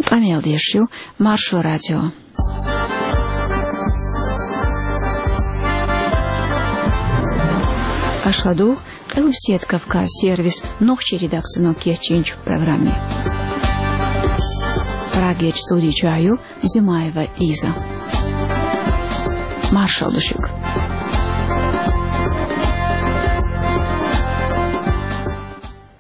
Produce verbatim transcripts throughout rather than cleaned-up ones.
Къамел деш ю Маршо радио. Аша ладугӀу Къилбаседа Кавказ сервисан нохчийн редакцино кечйинчу программе. Прагерчу студи чохь ю Зимаева Лиза. Маршалла ду шуьга.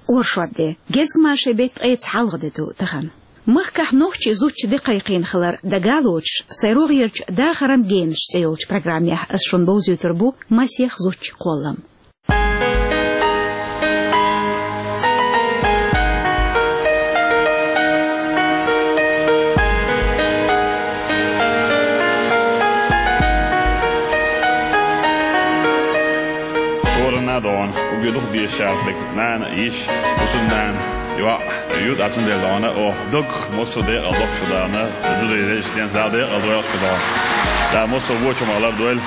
Оршот де, гезгмашин беттан ткъеца хьалха де ду тахана. Махкахь нохчийн зудчун де кхайкхийна хилар дага а лоцуш, сайн рогӀерчу «Дахаран генаш» цӀе йолчу программехь ас шуна бовзуьйтур бу масех зудчун кхоллам. Хьоранна а догӀна, угги дукха дезаш ца дерг, нана а, йиша а, хӀусамнана а, йоӀ а ю, цундела догӀна, оха дог массо а декъала доккхуш догӀна, зударий, дезаш ден Дала декъала дойла шу догӀна. Дала массо а вочу ма лардойла.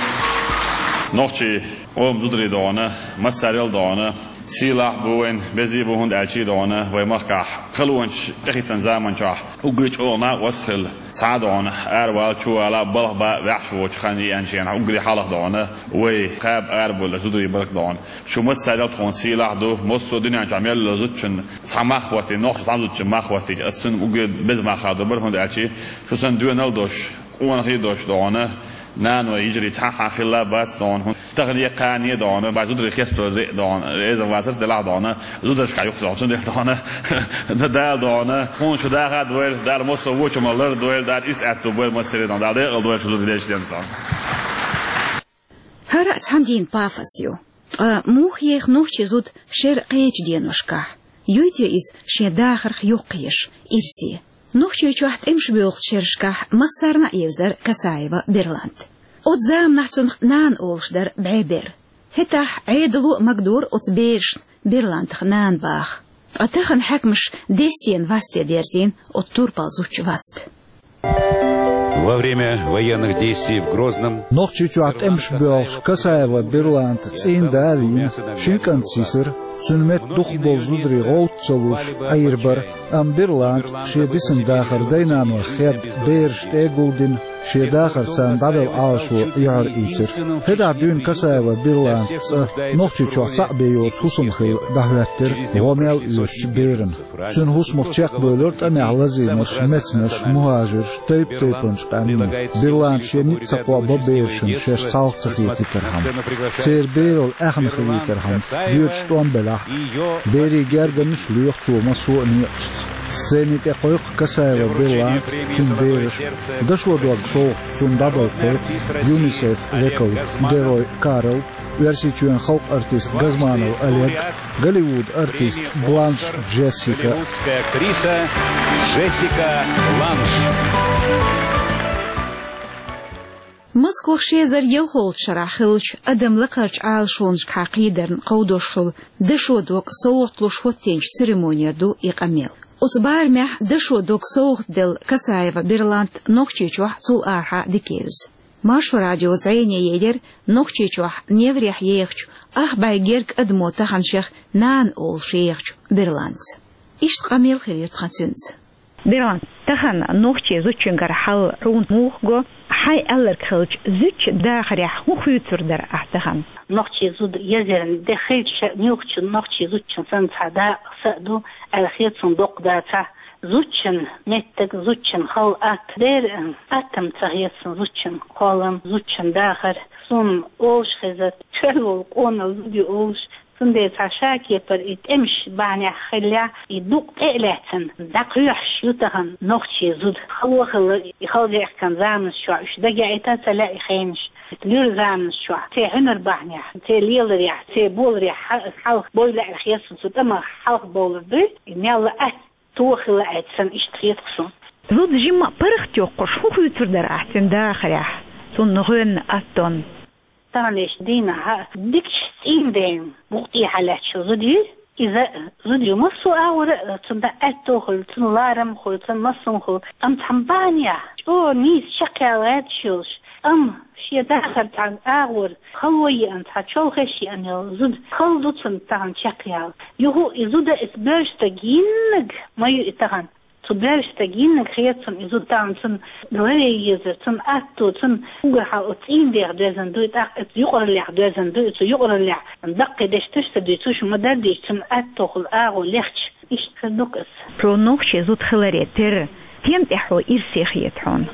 Нохчийн къоман зударий догӀна, массарел а догӀна, сийлахь а бу вайн, безе а бу, хӀунда аьлча догӀна, вайн махкахь халонаш тӀехӀиттина заман чохь уггаре чӀогӀа накъост хилла, цхьа а догӀна, аравала, чувала, балха бан, ваьхьаш воцу хан еанчу хенахь уггаре хьалха догӀна, вай кхаба арабевлла зударий баркалла догӀна. Шу массарел а тхуна сийлахь а ду, массо а дуьнен чохь мел йолу зудчун цхьа мах хӀоттий, нохчийн зудчун мах хӀоттийча, ас цуьнан уггаре беза мах хадор бара, хӀунда аьлча шу санна доьналла а долуш, къонахий а долуш догӀна, наной, йижарий цхьа а хилла бац догӀна, хӀунда тахана а, кхана а догӀна, бац зударий хестор а догӀна, реза вацар делахь а догӀна, зударшка юкъа догӀна, цундела догӀна, Дала догӀна, тхуна шу даха а дойла, Дала массо а вочу ма лардойла, Дала иза аьтту бойла массаре а догӀна, Дала декъала дойла шу зударий, дезаш ден Дала. ХӀара а цхьана дийнан пафос ю. Ткъа муха еха нохчийн зуда шеран кхечу деношкахь? Юй те иза шен дахарх йоккхаеш, ирсе? Нохчийчохь тӀемаш боьлхучу шерашкахь массарна а евзара Касаева Берланта. Оцу заманахь цунах нана олуш дара бӀе бер. ХӀетахь Ӏедало а магадора оцу берашна Берлантах нана баха. Ткъа тахана хьаькамаша дестен васте дерзийна оцу турпал зудчун васт. Во время военных действий в Грозном Нохчийчохь тӀемаш боьлхуш Касаева Берланта цӀийнан да а вийна, шина кӀант йисира, цуьнан метта дукхахболу зударий гӀовтта ца луш, Ӏийр бара, амма Берланта шен дисина дахар дай-нанойх хедда, бераш тӀе а гулдина, шен дахар царна дӀадала Ӏалашо юьхьар ийцира. ХӀетахь дуьйна Касаева Берланта цӀа Нохчийчохь цхьаъ бен йоцу хӀусам хилла дӀахӀоьттира гӀо мел оьшучу берана. Цуьнан хӀусамах чекхбевлира тӀамехь лазийнарш, мецнарш, мухӀажирш, тайп-тайпанчу къаьмнийн. Берланта шен ницкъ ца кхобба берашна шаьш цхьалха ца хетийтархьама. Церан бералла аьхна хилийтархьама, доьдуш тӀом белахь а, берийн гергарнаш а лоьху цо массо а некъашца. Сцени тӀе кхойкху Касаева Берланта, цуьнан бераш а. Дашо дог совгӀат цунна дӀадала кхойкху ЮНИСЕФ векал Герой Карл, Оьрсийчоьнан халкъан артист Газманов Олег, Голливуд артист Бланш Джессика. Голливудская актриса Джессика Бланш. Москвахь ши эзар ялхолгӀачу шарахь хиллачу адам лакхарчу Ӏалашонашкахьа кхийдарна кховдош хуьлу дашо дог совгӀат луш хӀоттийначу церемонера ду и къамел. Оцу барамехь дашо дог совгӀат делла Касаева Берланта Нохчийчохь а, цул арахьа а дика евза. Маршо радион зӀене елира Нохчийчохь неврехь ехачу ах бӀе герга адамо тахана шех нана олуш ехачу Берланца. Иштта къамел хилира тхан цуьнца. Берланта, тахана нохчийн зудчуьнгара хьал хьуна муха го, хьайн аьлларг хилча, зудчун дахарехь хӀун хуьйцур дара ахь тахана? Нохчийн зуда езарна де хилча, муьлххачу нохчийн зудчун санна цхьа дакъа, са а ду аьлла хета суна доккха дацахь. Зудчун меттиг, зудчун хала атта дера, атта-м ца хета суна зудчун кхоллам, зудчун дахар. Суна олуш хеза, тоьлла волу къонах зуда ю олуш, цундела цхьа ша кепара и тӀемаш бахьанехь хиллехь, и дукъ тӀе а лаьцна, дӀакхоьхьуш ю тахана нохчийн зуда. Хало а хилла, и хала вехкан заманаш чохь уьш дагаяийта ца лаьа и хенаш. Луьра заманаш чохь, церан хьуьнар бахьанехь, церан леларехь, церан боларехь хьал-, хьалха бой лаьара хета суна, цу тӀамах хьалха бовлур дуй, и мелла а атта, тоха хилла аьлла санна, иштта хета суна. Зуда жимма а паргӀат йоккхуш, хӀун хуьйцур дара ахь цуьнан дахарехь, цунна гӀоьнна аттонна? Таханлерчу дийнахь дикачу цӀийнан ден букъ тӀехьа лаьтташ йолу зуда ю иза. Зуда ю массо а агӀора а, цунна аьтто хуьлу, цунна ларам хуьлу, цунна массо а хуьлу. Амма цхьана бахьанехь чӀогӀа нийса чекхъяла гӀерташ йолуш, амма шен дахар цхьана агӀор хало еана, цхьа чолхеш еана йолу зуда хала ду цунна тахана чекхъяла. Юха а и зуда, иза боьрша стаг йиннаг ма ю и тахана. Цо Доьрзаш стаг йиннаг хетар цунна, и зуда тахан цунна ларъе езар, цунна атто, цунна уггар хьалха оцу цӀийнан дегӀ доьзна дуй, тӀаккха оцу юкъараллех доьзна дуй, оцу юкъараллех даккхий дешнаш ца дуьйцуш ма-дарра дийцича, цунна аттохула агӀо лехча, иштта хир ду-кх иза. Хьо нохчийн зуда хиларе терра, стен тӀехь хьо ирсе хета хьуна?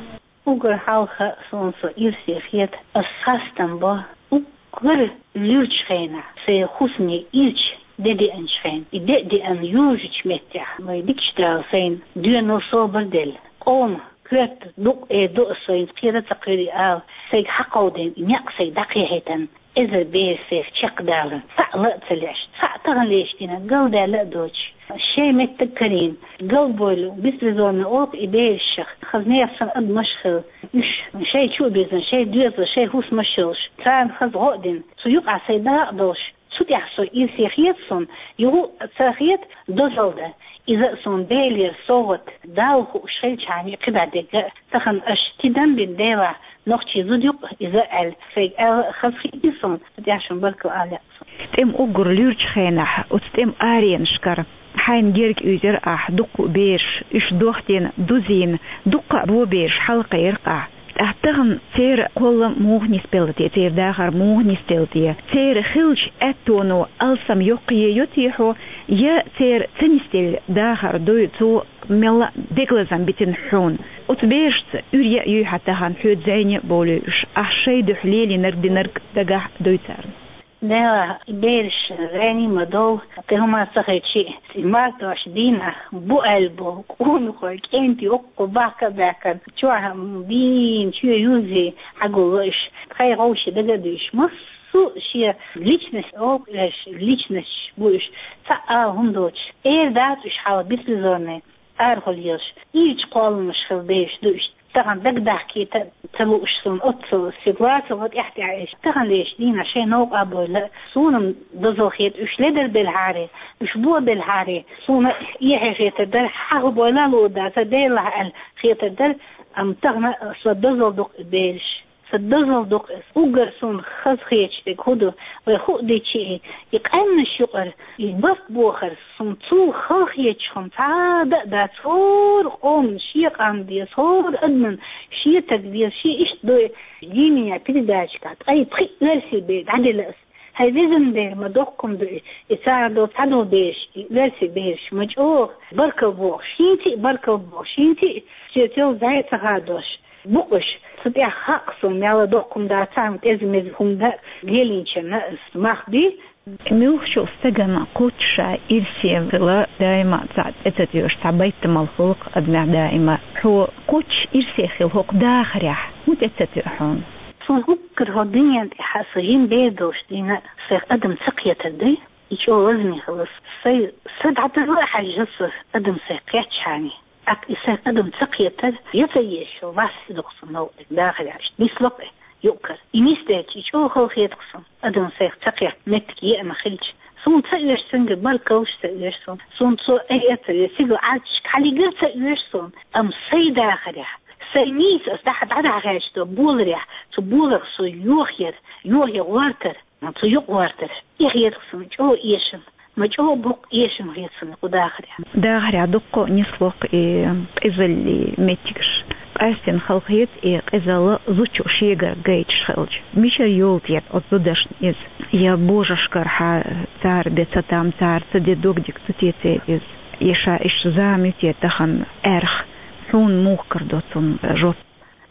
Уггар хьалха суна со ирсе хета, ас хастам бо уггар луьрачу хенахь, сайн хӀусаме ирча де деанчу хенахь, и де а деана южучу меттехь, вай дикачу Дала сайна доьналла собар а делла, къоман коьрта дукъ а ду ас, сайна кхера а ца кхоьру ала, сайга хьакховдийна и некъ сайга дӀакхехьийтина, эзар бер сайх чекхдаларна, цхьаъ ла а ца леш, цхьаъ таханлерчу дийнахь галдаьлла а доцуш, шайн меттиг карийна, галбевлла, беспризорный олу и бераш, хаза нехан санна адамаш хилла, уьш шайн чу а бирзина, шайн доьзал, шайн хӀусамаш йолуш, царна хаза гӀо а дина, цу юкъахь сайн дакъа долуш, цу тӀехь со ирсе хета суна, юха а ца хета дозалла дан. Иза а суна Делера совгӀат, Далла хууш хилчхьана, кхидӀа дерг а, тахана аша тидам бина Делахь, нохчийн зуда ю-кх иза аьлла, сайга аьлла а хазахетий суна, цу тӀехь шуна баркалла ала лаьа суна. СтӀем уггар луьрачу хенахь, оцу тӀеман аренашкара хьайна герга уьйзира ахь дуккха а бераш, уьш дохдина, дузийна, дуккха а бо бераш хьалакхайира ахь. ТӀаккха тахана церан кхоллам муха нисделла те, церан дахар муха нисделла те? Церан хиллачу аьттоно алсам йоккхае йо те хьо, я церан ца нисделла дахар дуй, цо мелла а дегалазам битина хьуна? Оцу берашца уьйр яа юй хьан тахана, хьоьца зӀене а бовлуьй уьш, ахь шайн дуьхьа лелийнарг динарг дагахь а дуй царна? Делахь, и бераш зӀене ма довла, кхин хӀума ца хилча а, и мартошан дийнахь бу аьлла болу къонахой, кӀентий, оккху бахка а баьхкина, чохь дийна чоь юзий хьагулло уьш, тхайн гӀовший дага а дуьйш, массо а шен личность олу уьш, личносташ бу уьш, цхьа а ала хӀума доцуш, эр дац уьш хьала беспризорный. Арахула езаш, ирча кхолламаш хилла бераш ду уьш. Тахана дагадахкийта ца лууш суна оццул ситуаци ва тӀаьхь-тӀаьхьа уьш. Таханлерчу дийнахь шайн новкъа а бовла, суна-м дозалла хета уьш ледара белхьаре, уьш бо белхьаре. Суна эхье хетар дара, хьан хӀун бовла а луур дац, Делахь аьлла хетар дара, амма тахана со дозалла ду-кх и бераш. Сан дозалла ду-кх иза. Уггар суна хазахеташ дерг хӀун ду, вай хӀуъа дичи, и къаьмнаш юкъара, и барт бохар, суна цул халахеташ хӀума цхьа а дан а дац, хӀора къоман шен къам деза, хӀора адаман шен таг деза, шен иштта ду и. Дийна передача тӀехь ткъе пхиъ оьрсийн бер дӀаделла ас. ХӀай везан Дела, ма доккхум ду и, и цара долу цхьадолу бераш, и оьрсийн бераш, ма чӀогӀа баркалла бохуш, хӀинца а баркалла бохуш, хӀинца а соьца йолу зӀе ца хадош. Бу-кх уьш, цу тӀехь хаьа-кх суна, мел а доккхум дацахь а, кӀезиг-мезиг хӀума дан лелийначарна ас мах бий. Муьлххачу стагана кхоччуш ирсе хила даима цхьаъ тӀе ца тоьуш, цхьа байтамал хуьлу-кх адамехь даима. Хьо кхоччуш ирсе хила хӀокху дахарехь хӀун тӀе ца тоьу хьуна? Суна уггар хӀокху дуьнен тӀехь сан жима бер долуш дийна сайх адам ца кхетар ду, и чӀогӀа лазаме хила ас. Сайн са дӀадала а хьаьжна ас, адам сайх кхетчхьана. ТӀаккха и сайх адам ца кхетар, я ца езаш, вас и ду-кх суна новкъа дерг, дахарехь иштта нисло-кх и юкъ-кара. И нисделча, и чӀогӀа халахета-кх суна, адам сайх ца кхетта меттиг еана хилча. Суна ца оьшу цуьнгара, баркаллаш ца оьшу суна. Суна цо айа ца оьшу, цигара Ӏаьржачу хьалигара ца оьшу суна. Амма сайн дахарехь, сайн нийса ас дӀа-, дӀадахьа гӀерташ долу боларехь, цу боларх со йохаяр, йохаяр гӀортар. Цу юкъ гӀортар, и хета-кх суна чӀогӀа эшам, ма чӀогӀа боккха эшам хета суна кху дахарехь. Дахарехь дуккха а нисло-кх и къизаллин меттигаш. Къаьстина халахета и къизалла зудчо шегара гайташ хилча. Мичара йолу те оцу зудашна иза? Я божаршкара хьа цара бен ца там, цара ца де дог дика ца теций иза? Я ша иштта зама ю те тахана аьрха? Хьуна муха карадо цунна жоп?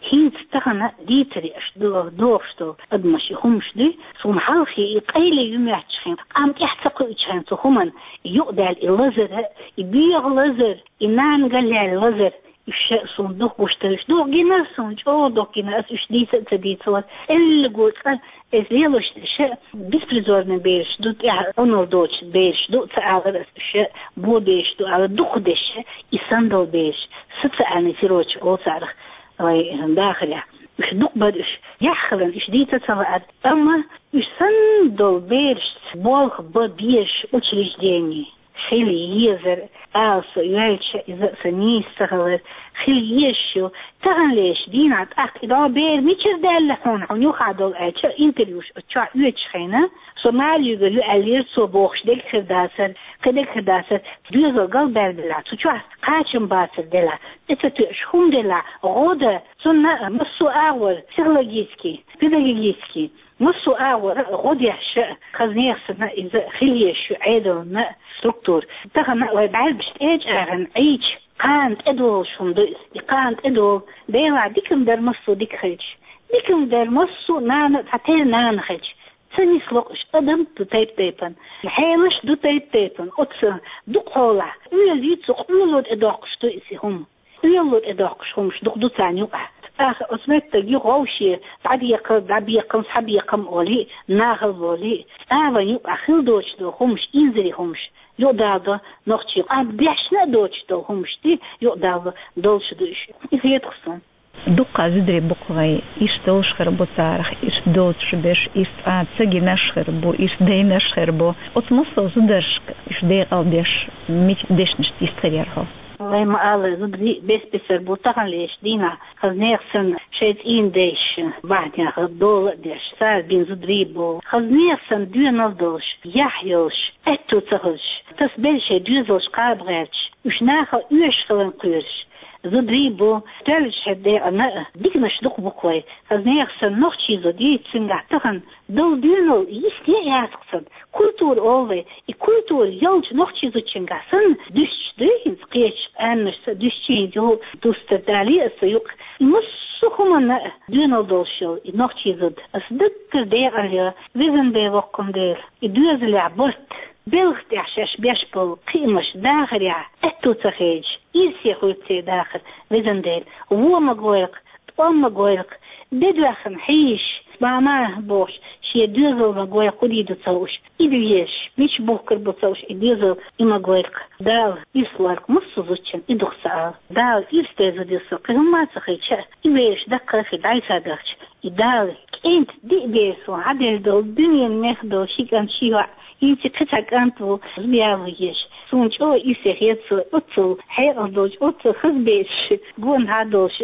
ХӀинца тахана дийцаре аша до-, дохуш долу адамаш и хӀумаш дуй, суна хьалхе и къайле ю моьттуш хен, къам тӀехь ца кхуьучу хен цу хӀуманна, и юкъадаьлла и лазар а, и бегӀа лазар, и нана галъяьлла лазар, уьш а суна дукха гуш дара, уьш дукха гинара суна, чӀогӀа дукха гинара, ас уьш дийца а ца дийцалара. Элларг цкъа, иза лелош дерш а, беспризорный бераш ду, тӀехь Ӏуналла доцуш бераш ду ца алара ас уьш а, бо бераш ду алара, дукха дерш а, и санна долу бераш, социальный сирота олу царах. Вай дахарехь уьш дукха бара уьш. Яхь хиларна уьш дийца ца лаьара. Амма уьш санна долу берашца болх бан безаш учреждени хила езара, ала со йоьлча, иза а сан нийса ца хилар, хила езаш ю. Таханлерчу дийнахь тӀаккха и дӀо бер мичара даьлла хьуна, хьуна юххе долу аьлча, интервьюш чохь оьцуш хенахь, со Марьиг ю аьллера, цо бохуш дерг хир дацара, кхин дерг хир дацара, доьзал галбаьлла делахь, цу чохь кхачам бацар делахь, тӀе ца тоьуш хӀума делахь, гӀо дан, цунна массо а агӀор, психологический, педагогический, массо а агӀора гӀо деш а, хаза нехан санна иза хила езаш ю Ӏедална структура. Тахана вай бӀаьргаш тӀе а чӀагӀна Ӏийча, кхана тӀедолуш хӀума ду иза, и кхана тӀедолу. Делахь дика-м дара массо а дика хилча. Дика-м дара массо а нана а цхьа тера нана хилча. Ца нисло уьш, адам ду тайп-тайпана. Хьелаш ду тайп-тайпана. Оцу дукха хьолахь. Оьзуьйту цу къоьлло тӀедоккхуш ду иза хӀума. Къоьлло тӀедоккхуш хӀумаш дукха ду царна юкъахь. ТӀаккха оцу меттиг ю гӀовше, дӀабекхал, дӀабекхам, схьабекхам олий, нахала болий, цӀа вайн юкъахь хила доцуш долу хӀумаш, инзаре хӀумаш, юкъадала до нохчий, къам дешна а доцуш долу хӀумаш ди, юкъадала долуш ду уьш. И хетахь суна. Дуккха зударий бу-кх вайн, иштта долуш хир бу царах, иштта доцуш берш, иштта цкъа а ца гинарш хир бу, иштта дайнарш хир бу. Оцу массо а зударшка уьш декъал деш, мича дешнашца йист хир яра хьо? Вай ма-аллара, зударий бес-бесара бу таханлерчу дийнахь, хаза нехан санна шайн цӀийнан дайша бахьанехь дола а деш, цара бина зударий бу. Хаза нехан санна доьналла долуш, яхь йолуш, аьтту ца хуьлуш, тасабелла шайн доьзалш кхаба гӀерташ, уьш нахала оьшуш хиларна кхоьруш зударий бу. Тоьллачу хӀара декъана а диканаш дукха бу-кх вай. Хаза нехан санна нохчий зуда йийца цуьнгахь тахана долу доьналла йисте а яц-кх цуьнан. Культура олу вай, и культура йолчу нохчий зудчуьнгахь санна дуьстуш дуй хӀинца, кхечу къаьмнашца дуьстуш, хӀинца юха дустар далий аса юкъа. И массо а хӀуманна а доьналла долуш йолу и нохчий зуда аса даггара декъала йо, везан Дела, воккхун Дела, и доьзалехь барт, белхан тӀехь шаьш беш болу кхиамаш дахарехь аьтту ца хедаш, ирсе хуьлу церан дахар, везан Дела, вон ма гойла-кх, тӀом ма гойла-кх, де доьхна хьийзаш, мама бохуш, шен доьзал ма гойла-кх, хӀун дийр ду ца хууш, и де езаш, мича бухкур бу ца хууш и доьзал, и ма гойла-кх. Дала ирс лойла-кх массо а зудчунна, и ду-кх сан ала. Дала ирс дерзо деза со, кхин хӀумма а ца хилча а, и бераш даккхий дӀасадахча, и Дала кӀентан диъ бер суна хьаделла долу, дуьненан мех долу ши кӀант, ши йоӀ, хӀинца кхин цхьа кӀант ву, зуда яло езаш. Суна чӀогӀа ирсе хета со, оццул хьекъал долчу, оццул хаза бераш гонахьа долуш.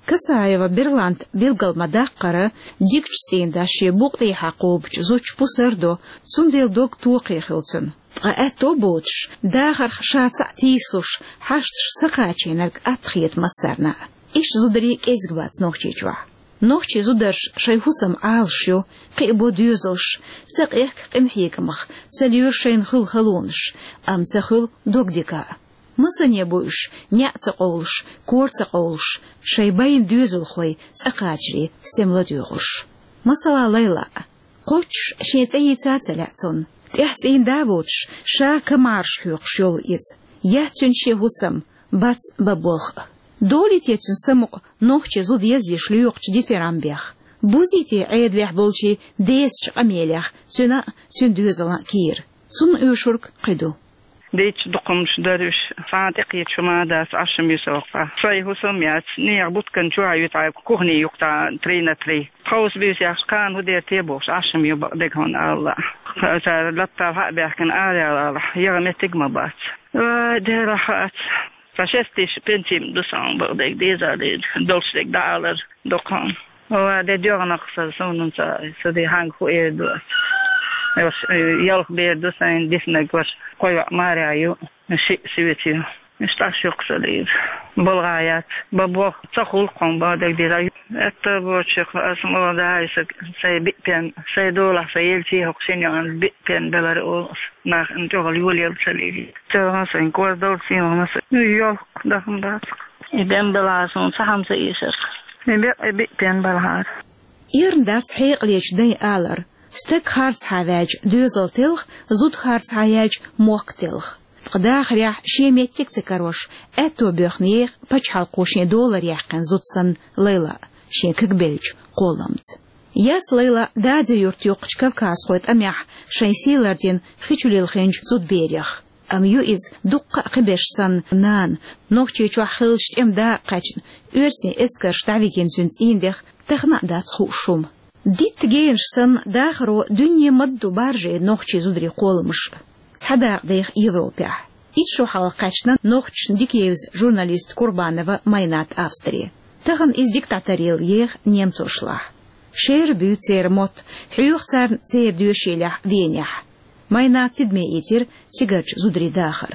Касаева Берланта билгал ма-даккхара, дикачу цӀийнан дас шен букъа тӀехьа кхобучу зудчу пусар до, цундела дог токхе хуьлу цуьнан. Ткъа аьтто боцуш, дахарх ша цхьаъ тийсалуш, хьашташ ца кхачийнарг атта хета массарна а. Иштта зударий кӀезиг бац Нохчийчохь. Нохчийн зударша шайн хӀусам Ӏалаш ю, кхиабо доьзалш, ца къехка къинхьегамах, ца лоьру шайна хуьлу халонаш, амма ца хуьлу догдика а. Масане бу уьш, неӀ ца къовлуш, кора ца къовлуш, шайн байна доьзалхой цӀа кхачаре стем ладоьгӀуш. Масала, Лайла. Кхоччуш шен цӀе йийца а ца лаьа цунна. ТӀехь цӀийнан да а воцуш, ша камарш хьоькхуш йолу иза. Яц цуьнан шен хӀусам, бац бан болх а. Долий те цуьнан самукъа нохчийн зуда езъеш лоькхучу дифирамбех? Бузий те Ӏедалехь болчийн десачу къамелех цуьнан а, цуьнан доьзалан а кийра? Цунна оьшург кхин ду. Дийцча дукха хӀуманаш дара уьш, цхьа а тӀекхеташ хӀума а дац, Ӏаш ма ю со воккха. Сайн хӀусам яц, нехан буткан чохь а ю тхьа, кухни юккъехь три на три. Тховса буьйса яхча, кхана хӀун дер те бохуш, Ӏаш ма ю бакъдерг хьуна ала. Цара латта хьа а баьхкина, араяла алахь, яха меттиг а ма бац. Вай, Дела, хац. Цхьа шестиш пенси ма ду сан бакъдерг, деза а деза, долуш дерг дӀаалар доккха хьуна. Ва де доьгӀнакх сан, суна ца, ца де хьанга хӀун эр ду ас. Ваш, э, ялх бер ду сайн диснарг, ваш кхо йоӀ маьрша ю, шиъ соьца ю. Иштта Ӏаш ю-кх сан деза. БалгӀа яц. Бан болх ца хуьлу-кх хьуна, бакъдерг деза. Аьтто боцуш, ас ма ван дахьа сан, сайн биъ пен, сайн долахь сан елчий хӀокху шина йоӀана биъ пен белара олу ас. Нах ин чӀогӀа йолаелла ца лелийта. Церан сайн кор долу сийлахь ма сан. Йолх дахана дац-кх. И бен белахь суна цхьа хӀума ца эшар. И бекъ, и биъ пен белахьара. Эрна дац хьекъалечу дайн алар: стаг харцахьа ваьлча, доьзал телха, зуда харцахьа яьлча, мохк телха. Ткъа дахарехь шен меттиг ца карош, аьтто боьхна еха пачхьалкхо шен долара яьккхина зуда санна Лайла шен кагбеллачу кхоламца. Яц Лайла Дадир-Юрт йоккхачу кавказхойн тӀамехь шайн сий лардина хи чу лилхинчу зудаберех. Амма ю иза дуккха а кхиберш санна нана, Нохчийчохь хиллачу тӀеман дакъа кхаьчна, оьрсийн эскарша дӀавигина цуьнан цӀийнан дех тахана а дац хууш хӀума. Дитта генаш санна, дахаро дуьне ма-дду баржийна нохчийн зударийн кхоламаш. Цхьа дакъа деха Европехь. Итт шу хьалха кхаьчна нохчашна дика евза журналист Курбанова Майнат Австре. Тахана иза дика дӀатаръелла еха немцошлахь. Шера буьйцу церан мотт, хьоьху царна церан доьшийлехь Венехь. Майнат тидаме ийцира цигарчу зударийн дахар.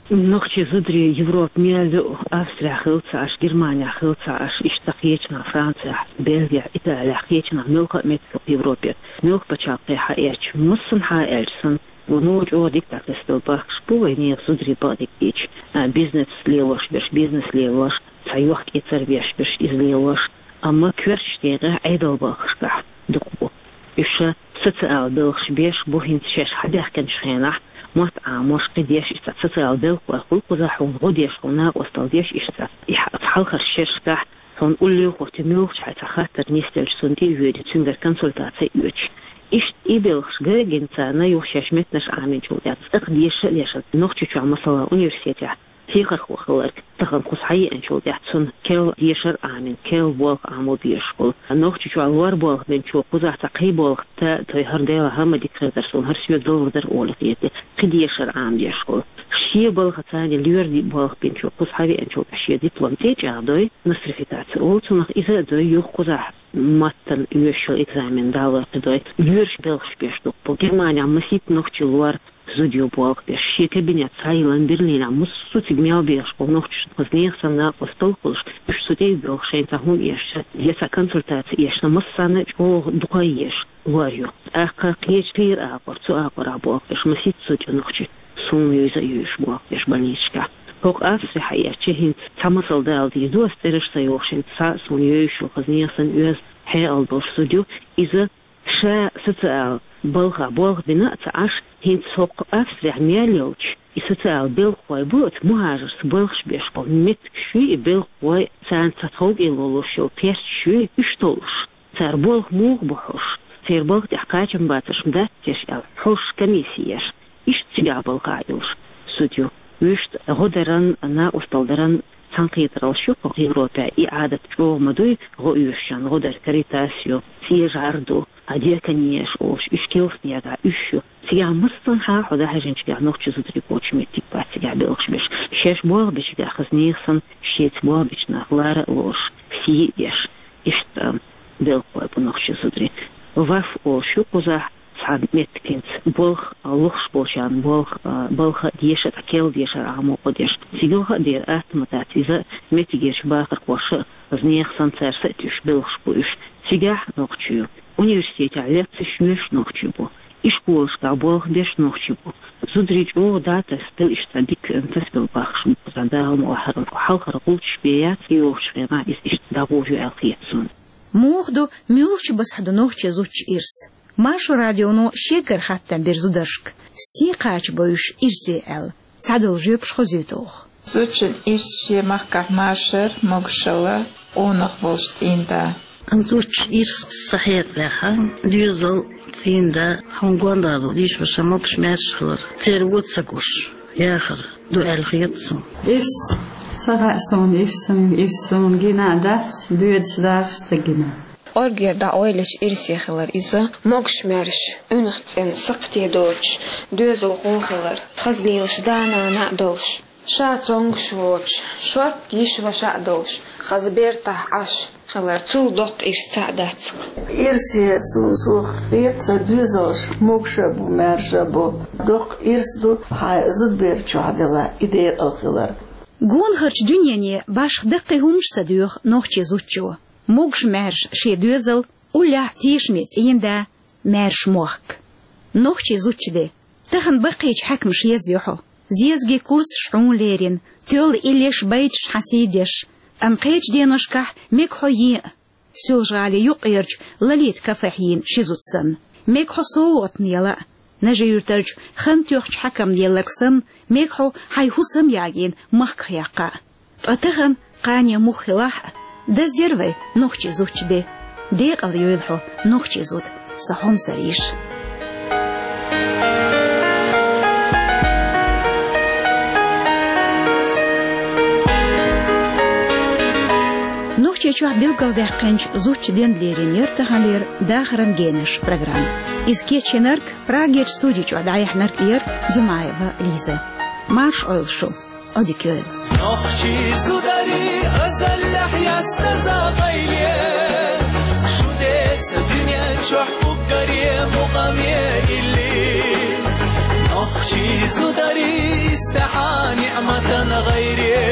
Нохчийн зударий Европа мел йолу, Австрехь хилла ца Ӏаш, Германехь хилла ца Ӏаш, иштта кхечанхьа Францехь, Бельгехь, Италехь, кхечанхьа муьлхха а меттехь Европера, муьлхха пачхьалкхехь хьаэцча, массанхьа а аьлча санна, вон чӀогӀа дика дӀатасабелла бахкаш бу вай нехан зударий бакъдерг дийцича, а, бизнес лелош берш, бизнес лелош, цхьа йохк-эцар беш берш иза лелош, амма коьртачу декъехь Ӏедалан балхашкахь дукха бу. Уьш социал белхаш беш бу хӀинца шаьш хьабаьхкинчу хенахь, мотт Ӏамош, кхин деш иштта социал белхалой хуьлу кхузахь, хьуна гӀо деш, хьуна накъосталла деш иштта. И хьа-, хьалхарчу шерашкахь хьуна уллехь хӀоттий муьлххачу хьайн цхьа хаттар нисделча, цунна тӀе а воьдий, цуьнгара консультаци а оьцуш. Иштта и белхаш гина царна юха шаьш меттанаш Ӏамийначул тӀаьхьа цӀаккха деша а дешна, Нохчийчохь, масала, университетехь хьехархо хилларг тахана кхуза схьаеанчул тӀаьхьа цунна керла дешар а Ӏамийна, керла болх Ӏамо безаш хуьлу. Нохчийчохь лор болх бинчо кхузахь цхьа кхин болх тӀе а тойий, хӀара Делан хӀама дика хир дара суна, хӀара соьга лур дара олий хета, кхин дешар Ӏамош хуьлу. Шен балхаца лоьрийн болх бинчо кхуза схьавеанчул тӀаьхьа шен диплом тӀе а чӀагӀдой, нострификаци олу цунах, иза а дой, юха кхузахь маттана оьшуш йолу экзамен далор кхин дой, лоьраш белхаш беш дукха бу. Германехь масийтта нохчийн лор зуда ю болх беш, шен кабинет схьайиллина Берлинехь, массо а цига мел бехаш болу нохчашна, хаза нехан санна накъосталла хуьлуш, уьш цу тӀе а боьлхуш, шайна цхьа хӀума эшча, я цхьа консультаци эшча, массарна а чӀогӀа дукха а езаш лор ю. ТӀаккха кхечу кхийра агӀор, цу агӀорахь болх беш, масийтта зуда ю нохчийн, суна юьйза а юьйш болх беш больницашкахь. ХӀокху Австрехь а эшча, хӀинца цхьа масал дала дийр ду ас, цӀераш ца йохуш, хӀинца цхьа а суна юьйш ю, хаза нехан санна оьзда, хьекъал долуш зуда ю, иза ша социал балхахь болх бина а ца Ӏаш, хӀинца хӀокху Австрехь мел йолчу и социал белхахой бу, оцу мухӀажаршца балхаш беш болу меттигаш юй и белхахой, царна цхьа тховкӀело луш йолу кхерчаш юй, уьш толлуш. Цара болх муха бу хьош, церан балха тӀехь кхачам бацарш ма дац теш аьлла, хьош комисси еш, иштта цигахь балхахь йолуш зуда ю. Вуьшта гӀо даран, накъосталла даран цхьаьнакхетараллаш ю кху Европехь, и Ӏадат чӀогӀа ма дуй, гӀо оьшучарна гӀо дар, Каритас ю, цӀен жӀар ду, а диаконеш олуш, уьш килснегахь уьш ю. Цигахь массанхьа хьо дӀахьаьжначигахь нохчийн зударий боцуш меттиг бац цигахь белхаш беш. Шаьш болх бечигахь хаза нехан санна, шеца болх бечу нах лара а лоруш, сий а деш, иштта белхалой бу нохчийн зударий. ВАФ олуш ю кхузахь, цхьа меттигашца болх, а, лохуш болчарна болх, а, балха а деша, цхьа керла дешар Ӏамо гӀо деш. Цигалха а дера атта ма дац иза, меттигерчу бахархоша а, хаза нехан санна, цара са а туьйсуш белхаш бу уьш. Цигахь нохчий ю. Университетехь лекцеш йоьшуш нохчий бу. Ишколашкахь болх беш нохчий бу. Зударий чӀогӀа дӀатасабелла иштта дика тасабелла бахкаш бу кхузахь, Дала мукъ лахь, хӀара хьалхара гӀулчаш бен яц, и йолчу хенахь иза иштта дӀагӀур ю аьлла хета суна. Муха ду, муьлхачу басахь ду нохчийн зудчун ирс? Маршо радионо шегара хаттам бира зударшка, стен кхача бо уьш ирсе аьлла. Цхьадолу жоьпаш хозуьйту оха. Зудчун ирс шен махкахь машар, могушалла, къонах волуш цӀийнда. Зудчун ирс сан хьекъалехь, доьзал, цӀийнда, хьуна гондалла, йиша-ваша могуш-маьрша хилар, церан вон ца гуш, яхар ду аьлла хета суна. Ирс ца хаьа суна, ирс суна, ирс суна гина а дац, доьдуш дахаш ца гина. КӀоргера дӀаойлачу ирсе хилар иза, могуш-маьрша, уьнах цӀена сакхте доцуш, доьзалхо хилар, хаза лелаш да-нана а долуш, ша цомгуш воцуш, шорта йиша-ваша а долуш, хаза бертахь Ӏаш хилар, цул доккха ирс цхьаъ дац-кх. Ирсе суна со хета, сан доьзалш могуш а бу, маьрша а бу. Доккха ирс ду хьайн зудабер чохь делахь и декъала хилар. Гонахарчу дуьнене башха даккхий хӀуманаш ца доьху нохчийн зудчо. Могуш-маьрша шен доьзал, уллехь тешаме цӀийнда, маьрша мохк. Нохчийн зудчун де. Тахана баккхийчу хьаькамаша еза ю хьо. Зезагийн курсаш хьуна лерина, тоьлла иллеш, байташ хьан сий деш. Амма кхечу деношкахь мега хьо ен а, Соьлжа-ГӀалин юккъерчу Лолита кафехь йийна ши зуда санна. Мега хьо совгӀатна яла а, Нажи-Юьртарчу хан тоьхначу хьаькамна елларг санна, мега хьо хьайн хӀусам ягийна махках яккха а. Ткъа тахана кхане муха хилахь а, даздера вай нохчийн зудчун де. Декъала йойла хьо, нохчийн зуда, сан хьомсара йиша. Нохчийчохь билгалдаьккхинчу зудчун денна лерина яра таханлера «Дахаран генаш» программа. Иза кечйинарг, Прагерчу студи чохь дӀаяьхьнарг яра Димаева Лиза. Марш Ӏойла шу, Ӏодика йойла. Нохчий зударий, азаллехь ястаза гӀайре, шу деца дуьнен чохь уггаре мукъаме илли. Нохчий зударий, исбаьхьа ниӀматан гӀайре,